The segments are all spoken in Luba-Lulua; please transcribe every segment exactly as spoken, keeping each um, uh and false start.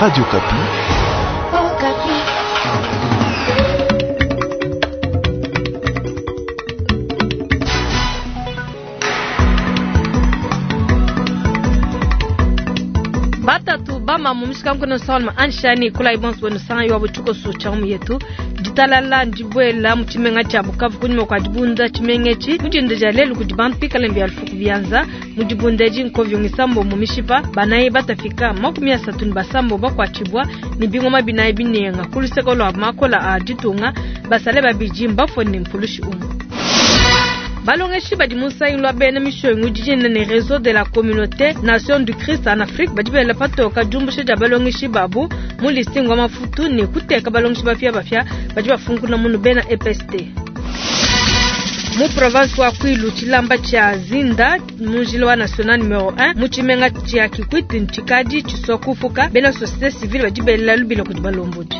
Radio Okapi. Okapi. Batatu bama mumishikankono salma anshani kula ibonso wenu sanga yo buchuko su chamu yetu ditalala ndibwela mu tshimenga tshia Bukavu kunyuma kua dibunda tshimenga etshi mudinda dia lelu kudi bantu pikale mbia lufuku bianza mu dibunda edi nkovyongisa mbombo mishipa banayi batafika makumi asatu ne basambo bakuatshibua ne bingoma binayi binenga ku luseke lua makola a ditunga basale babidi mbafue ne mpulushi umue. Balongeshi badi mu nsangilu wa bena mishonyi udi ne Réseau de la Communauté Nation du Christ en Afrique badi bela patoka diumbusha dia balongeshi babu mu listing wa mafutu ne kuteka balongeshi bapia bapia badi bafunkuna munu bena E P S T. Mu province wa Kwilu tshilamba tshia Zinda mu njila wa national numero un mu tshimenga tshia Kikwit ntshikadi tshisua kufuka bena société civile badi bela lubila kudi balombodi.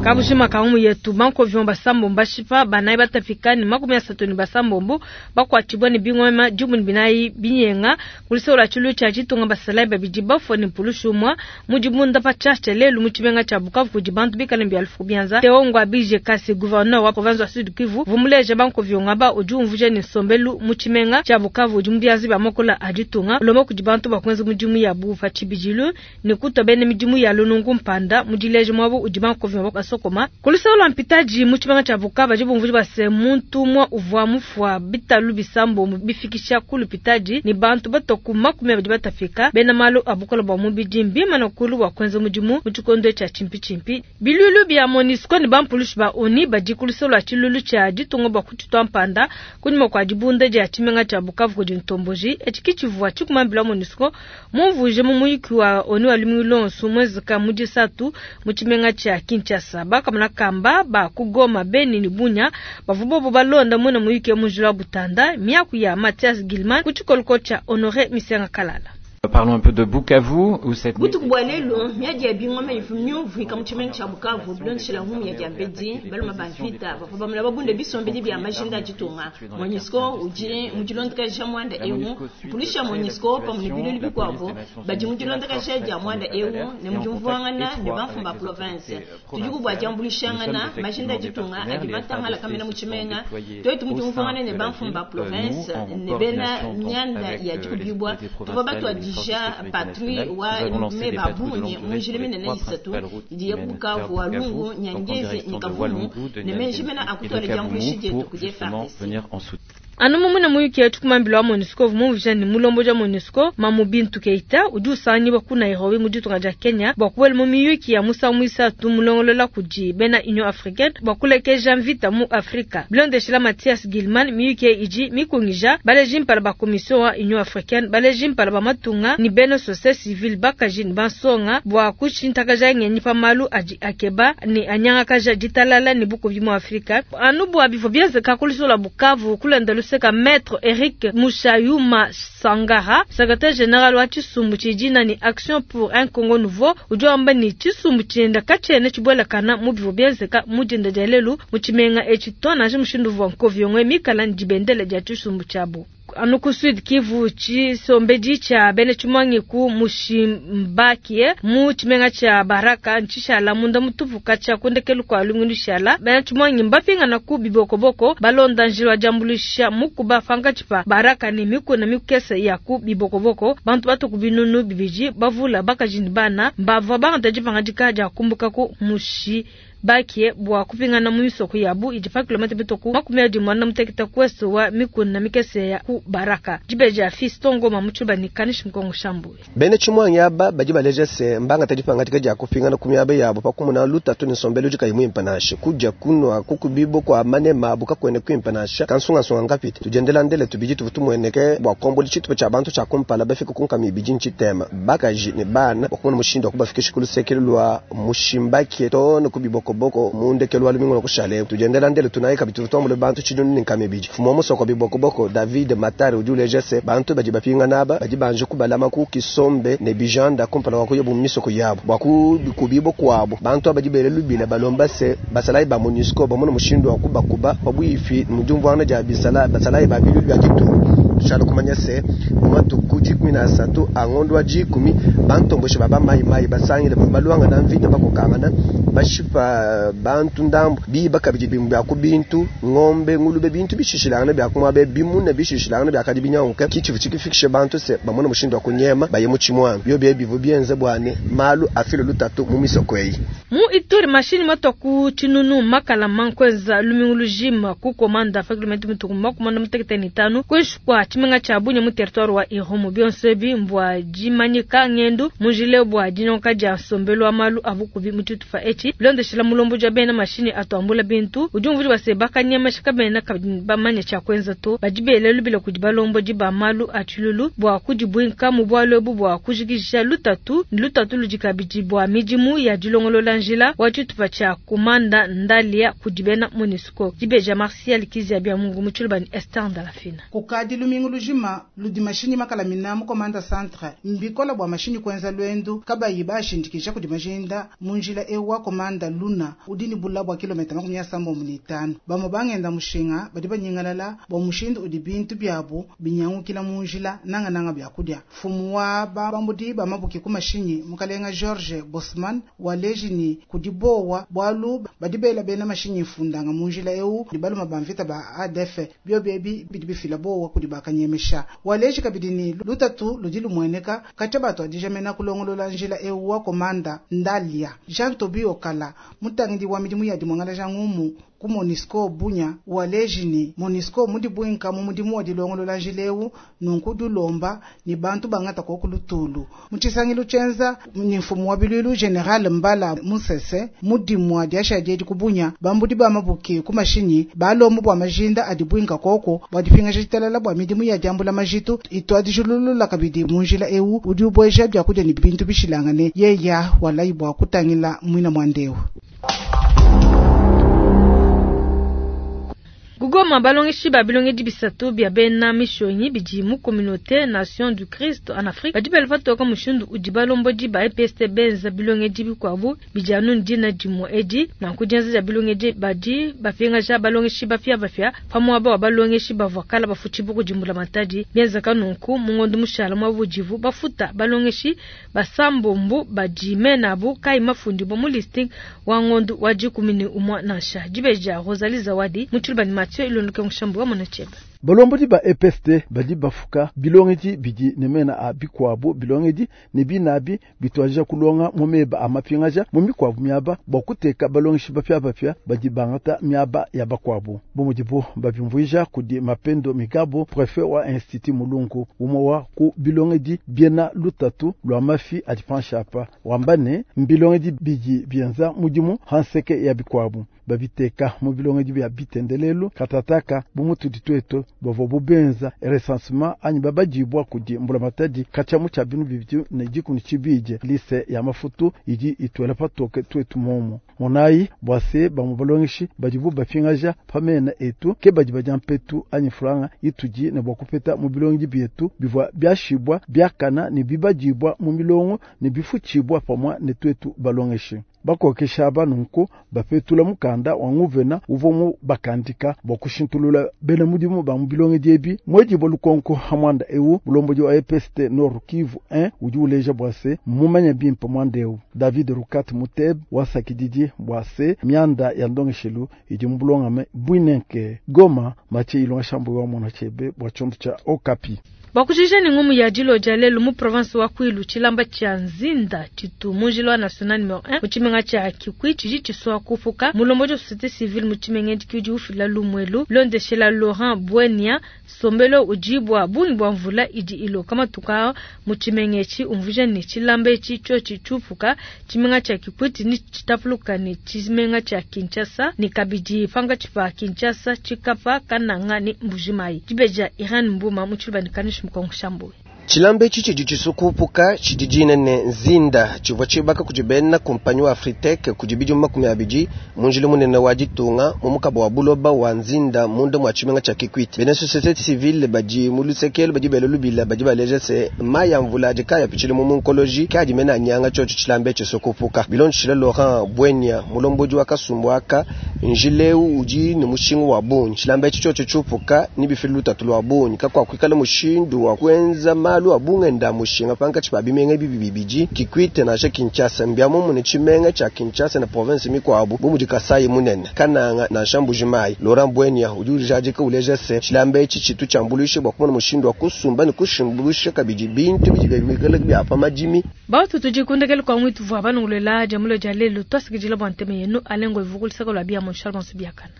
Kabushima kaumu yetu banko vyomba sambo mbashipa banayi batafika ni makumi asatu ni basambombo bakwatibwa ni bingoma jumu ni binayi binyenga kulisola chulu cha chitunga basalayi babidi bafo ni mpulushumwa mujibunda pa chacha lelu mu tshimenga cha Bukavu kudi bantu bikale mbia lufu bianza Teongwa Bije Kasi gouverneur wa province wa Sud Kivu vumuleje banko vyonga ba udi umvuje ni sombelu mu tshimenga cha Bukavu udi mbiazi ba mokola aditunga lomo kudi bantu bakwenza mudimu ya bufa chibijilu ni kutobene midimu ya lunungu mpanda mudileje mwabo udi banko vyonga sokoma kulisola mpitaji mu tshimenga cha Bukavu jibumvuji base muntu mwa uvwa mufwa bitalu bisambo bifikisha kulu pitaji ni bantu batoku makumi abidi batafika bena malu abukola bwa mubidi mbima na kulu wa kwenza mudimu mu tshikondo tsha chimpi chimpi bilulu bya MONUSCO ni bampulushi ba ONU badi kulisola tshilulu tsha ditunga bwa kutshitwa mpanda kunyuma kwa dibunda dia tshimenga tsha Bukavu kudi ntomboji etshi kitshivua tshikumambila MONUSCO mumvuje mu muyuki wa ONU wa lumingu lonso mwezika mu disatu mu tshimenga tsha Kinshasa bakamana kamba ba kugoma Beni ni Bunya bavubobo balonda mwena muyuki mujula butanda miaku ya Mathias Gilman kuchikoloko cha Honoré Misenga Kalala. Parlons un peu de Bukavu où cette Butuku bwa lelo miadi ya bingoma ifumyu vika mu tshimenga tsha Bukavu bilondeshela humu ya diambedi baluma ba mvita bavua bamula babunda bisombedi bia majinda a ditunga MONUSCO udi mu dilondakaja mwanda ewu mpulusha MONUSCO pamwe ne bilulu bikuabo badi mu dilondakaja dia mwanda ewu ne mu diumvuangana ne bamfumu ba province tudi kubua diambuluishangana majinda a ditunga adi matangala kamena mu tshimenga twetu mu diumvuangana ne bamfumu ba province ne bena mianda ya dikubibua tuvua batua ja patrouille wa mebabunye munjile minene isatu idi ya Bukavu wa Lungu Nyangezi ni Kavumu ne menji mena akutwala diambuluishi dietu kudi F A R D C. Anu mumuna muyuki yetu kumambila wa MONUSCO vumuvija ni mulombo ja MONUSCO Mamu Bintu Keita udi usanyiwa ku Nairobi mu ditunga dia Kenya bua kubuela mu miyuki ya musangu muisatu mulongolola kudi bena Union Africaine bua kulekeja mvita mu Afrika. Bilondeshela Mathias Gilman miyuki idi mikungija baleji mpala ba commission wa Union Africaine baleji mpala ba matunga ni bena société civile bakaji ni bansonga bua kushintakaja ngenyi pa malu adi akeba ni anyangakaja ditalala ni bukubi mu Afrika. Anu bua bivua bienzeka kulisola Bukavu kulenda luseka Maître Eric Mushayuma Sangara, secrétaire général wa tshisumbu tshidina ni Action pour un Congo Nouveau, udi wamba ni tshisumbu tshienda katshiena tshibuelakana mu bivua bienzeka mu dinda dia lelu mu tshimenga etshi to nansha mushindu uvua nkovi mikala ni dibendele dia tshisumbu tshiabu. Anu ku Sud Kivu tshisombedi tsha bena tshimangi ku Mushimbakie mu tshimenga tsha Baraka ntshishala munda mutupu katshia kundekelu kua lungu lushala bena tshimangi mbapingana ku bibokoboko balonda njila wa diambuluisha mukuba pankatshi pa Baraka ne mikuna mikese ya ku bibokoboko bantu batuku binunu bibidi bavula bakaji ne bana mbavua bangata dipangadika dia kumbuka ku Mushi bakie bua kupingana mu misoko yabu idi pa kilomita bitoku makumi adi muanda mutekete kuesu wa mikuna mikese ya ku Baraka dibeja Fiston Ngoma mutshuba ni kanishi mkongo shambu bene tshimwangi aba badi baleja se mbanga tadi pangatika dia kupingana ku miaba yabo pakumuna lutatu ni nsombelu udi kayi muimpe nansha kudia kunwa kukubibo kwa manema abu kakwene kuimpe nansha kansungasunga ngapite tudiendela ndele tubidi tuvu tumueneke bua kombola tshitupa tshia bantu tshia kumpala bafika kunkama ibidi ntshitema bakaji ne bana bakumuna mushindu wa kubafikisha ku lusekelo lua Mushimbakie to ne kubiboko boko mundekelo wa lumingu kushale tudiendela ndele tunaika bitu tuambule bantu tshidunu ni nkama ibidi fumo musoko biboko boko David Matari udi uleja se bantu badi bapinga naba badi banje kubalama ku kisombe ne bijanda kumpala wa kuya bumisoko yabo bwa kubibo kwabo bantu abadi bele lubila balomba se basalai ba MONUSCO bamona mushindu wa kubakuba pabuifi mujumvwana ja bisala basalai ba bilu bya ditu Tushala kumanya se mu matuku dikumi na asatu a ngondo wa dikumi bantomboshi ba bamayimayi basangile baluangana mvita bakokangana bashipa bantu ndambu biba kabidi bimwe bya ku bintu ngombe ngulube bintu bishishilangana bya kumwabe bimuna bishishilangana byakadi binyanguka kichivu chikifikishe bantu se bamona mushindu wa kunyema baye mu chimwana byo bye bivu bienze bwane malu afilo lutatu mu misoko eyi mu Ituri mashini matoku chinunu makala mankweza lumingu lujima ku komanda fakulmenti mutuku makumanda mutekete ni tano kwishukwa chimenga cha Bunya mu territoire wa Irumu byonsebi mbwa jimanyika ngendu mujile bwa dinonka ja sombelo amalu abukubi mututufa echi bilondeshela mulombo ja bena mashini atwambula bintu ujumvuli basebaka nyama shikabena kabamanya cha kwenza to bajibele lubile kujibalombo jiba malu achululu bwa kujibwinka mu bwalo bwa kujikisha lutatu lutatu lujikabiji bwa mijimu ya dilongolola njila wachitufa cha kumanda ndalia kujibena MONUSCO jibeja Martial Kizia bya Mungu muchulubani Esther Ndalafina kukadi lumingu lujima ludi mashini makala minamu komanda centre mbikola bwa mashini kwenza lwendu kabayi bashindikisha kudi majinda munjila ewa komanda luna udini bula bwa kilomita makumi asambo munitano bamo bangenda mushinga badi banyingalala bwa mushindu udi bintu byabo binyangukila munjila nanga nanga byakulya fumu wa bambudi bamabuki ku mashinyi mukalenga George Bosman walejini kudibowa bwalu badi bela bena mashinyi fundanga munjila eu dibaluma bamvita ba A D F byobebi bidi bifila bowa kudi bakanyemesha waleji kabidini lutatu ludi lumweneka kacha bato adijamena kulongolola njila eu wa komanda ndalia Jean Tobi Okala mutangidi wa midimu ya dimwangala ja ngumu ku MONUSCO Bunya walejini MONUSCO mudi bwinka mu mudimu wa dilongolola njileu nunku dulomba ni bantu bangata ko kulutulu muchisangilu chenza ni mfumu wa bilulu General Mbala Musese mudimu wa diasha diedi kubunya bambudi ba mabuki ku mashinyi balombo bwa majinda adibwinka koko bwa dipinga jitalala bwa midimu ya jambula majitu itwa dijululula kabidi munjila eu udi ubweja bya kudya ni bintu bishilangane yeya walayi bwa kutangila mwina mwandewu. Goma balongeshi ba bilongedi bisatu bya bena mishonyi bidi mu communauté Nation du Christ en Afrique badi belva toka mushindu udi balombodi ba E P S T benza bilongedi bikwabu bidi anu ndina dimo edi na kujenza ja bilongedi badi bafinga ja balongeshi bafia bafia pamwaba wa balongeshi bavakala bafuchi buku jimbula matadi benza kanunku mungondo mushala mwabujivu bafuta balongeshi basambombu badi menabu kai mafundi bo mu listing wa ngondo wa jikumini umwa nansha jibeja Rosalie Zawadi mutulubani Mathieu Ilonduke Mushambu wa Monachebe. Balombodi ba E P S T badi bafuka bilongedi bidi ne mena a bikwabu bilongedi ne binabi bitwaja kulonga mu meba a mapingaja mu mikwabu miaba bwa kuteka balongeshi bapya bapya badi bangata miaba ya bakwabu bomudibo babimvuija kudi Mapendo Migabo prefet wa Institut Mulungu umwe wa ku bilongedi biena lutatu lwa mafi adi panshapa wambane mbilongedi bidi bienza mudimu hanseke ya bikwabu babiteka mu bilongedi bya bitendelelu katataka bumutudi tweto bavo bubenza recensement anyi babajibwa kudi mbulamatadi kachamu cha binu bibidi ne jikuni chibije lise ya mafutu idi itwela patoke twetu momo monayi bwase bamubalongeshi badibu bapingaja pamena etu ke badi baja mpetu anyi franga ituji ne bwakupeta mu bilongi bietu bivwa byashibwa byakana ne bibajibwa mu milongo ne bifuchibwa pamwa ne twetu balongeshi bakokesha abanunku bapetula mukanda wa nguvena uvomu bakandika bokushintulula bena mudimu ba mubilonge diebi mweji bolukonko hamwanda ewu mulomboji wa E P S T Nord Kivu un udi uleja bwase mumanya bimpe mwanda ewu David Rukat Muteb wasakididi bwase mianda ya ndongeshelu idi mbulongame bwinenke Goma mache ilonga shambu wa mwana chebe bwa chonto cha Okapi. Bakujija ni ngumu ya jilo jalelu mu province wa Kwilu chilamba cha Nzinda chitu mujilo wa national numero un muchimenga cha Kikwi chiji chiswa kufuka mulombojo société civile muchimenga ndikiji ufila lumwelu londeshela Laurent Buenia sombelo ujibwa bungi bwa mvula idi ilo kama tuka muchimenga chi umvuja ni chilamba chi chochi chufuka chimenga cha Kikwi ni chitapuluka ni chimenga cha Kinshasa ni kabidi panga chipa Kinshasa chikapa kananga ni Mbujimai jibeja Iran Mbuma muchilba ni kanish. Tshilamba etshi tshidi tshisukupuka tshidi dina ne nzinda tshivua tshibaka kudi bena kumpanyi wa Afritec kudi bidimu makumi abidi mu njila munene wa ditunga mu mukaba wa buloba wa nzinda munda mua tshimenga tshia Kikwit. Bena société civile badi mu lusekelo badi bela lubila badi baleja se mayi a mvula adi kaya pitshile mu munkoloji kadi mena anyanga tshiotshi tshilamba etshi tshisukupuka. Bilondeshile Laurent Bwenya mulombodi wa kasumbu aka njileu udi ne mushinga wa bungi tshilamba etshi tshiotshi tshiupuka ni bifili lutatu lwa bungi kakuakuikala mushindu wa kuenza malu a bungenda mushinga pankatshi pa bimenga bibi bibidi Kikwit nansha Kinshasa mbia mumune tshimenga tshia Kinshasa na province mikuabu bu mudi Kasai munene Kananga nansha Mbujimayi. Laurent Bwenya udi ujadika uleja se tshilamba etshi tshitu tshiambuluishe bua kumona mushindu wa kusumba ne kushimbuluisha kabidi bintu bidi bikale bia pa madimi. Bautu tudikundekele kwa mwitu vua banongolela jamulo dia lelo twasikidila bua nteme yenu alengo ivukulisaka lwa bia Charles Biakana.